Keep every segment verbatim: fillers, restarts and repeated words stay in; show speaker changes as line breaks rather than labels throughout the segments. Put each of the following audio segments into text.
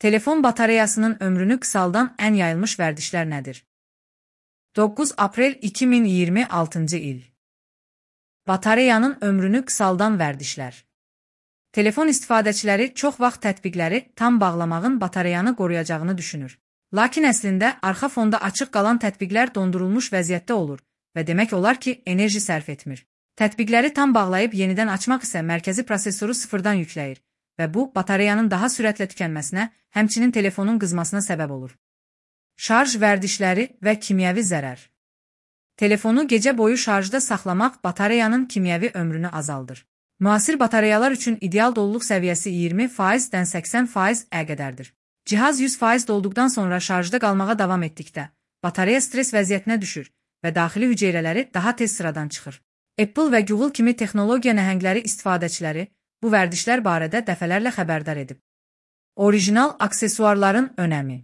Telefon batareyasının ömrünü qısaldan ən yayılmış vərdişlər nədir? doqquz aprel iki min iyirmi altıncı il. Batareyanın ömrünü qısaldan vərdişlər. Telefon istifadəçiləri çox vaxt tətbiqləri tam bağlamağın batareyanı qoruyacağını düşünür. Lakin əslində arxa fonda açıq qalan tətbiqlər dondurulmuş vəziyyətdə olur və demək olar ki, enerji sərf etmir. Tətbiqləri tam bağlayıb yenidən açmaq isə mərkəzi prosesoru sıfırdan yükləyir və bu, batareyanın daha sürətlə tükənməsinə, həmçinin telefonun qızmasına səbəb olur. Şarj vərdişləri və kimyəvi zərər. Telefonu gecə boyu şarjda saxlamaq batareyanın kimyəvi ömrünü azaldır. Müasir batareyalar üçün ideal doluluq səviyyəsi iyirmi faizdən səksən faiz ə qədərdir. Cihaz yüz faiz dolduqdan sonra şarjda qalmağa davam etdikdə, batareya stres vəziyyətinə düşür və daxili hüceyrələri daha tez sıradan çıxır. Apple və Google kimi texnologiya nəhəngləri istifadəçiləri bu vərdişlər barədə dəfələrlə xəbərdar edib. Orijinal aksesuarların önəmi.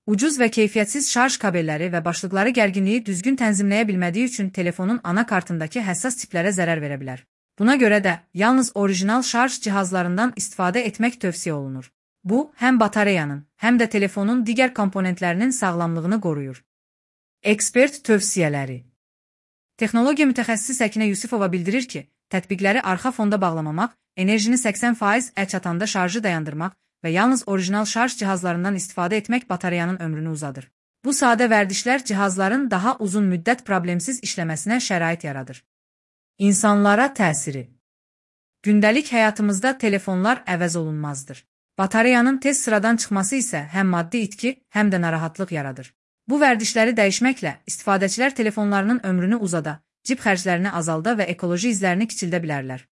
Ucuz və keyfiyyətsiz şarj kabelləri və başlıqları gərginliyi düzgün tənzimləyə bilmədiyi üçün telefonun ana kartındakı həssas tiplərə zərər verə bilər. Buna görə də yalnız orijinal şarj cihazlarından istifadə etmək tövsiyə olunur. Bu, həm batareyanın, həm də telefonun digər komponentlərinin sağlamlığını qoruyur. Ekspert tövsiyələri. Texnologiya mütəxəssisi Səkinə Yusifova bildirir ki, tətbiqləri arxa fonda bağlamamaq, enerjini səksən faiz ə çatanda şarjı dayandırmaq və yalnız orijinal şarj cihazlarından istifadə etmək batareyanın ömrünü uzadır. Bu sadə vərdişlər cihazların daha uzun müddət problemsiz işləməsinə şərait yaradır. İnsanlara təsiri. Gündəlik həyatımızda telefonlar əvəz olunmazdır. Batareyanın tez sıradan çıxması isə həm maddi itki, həm də narahatlıq yaradır. Bu vərdişləri dəyişməklə istifadəçilər telefonlarının ömrünü uzada, cib xərclərini azalda və ekoloji izlərini kiçildə bilərlər.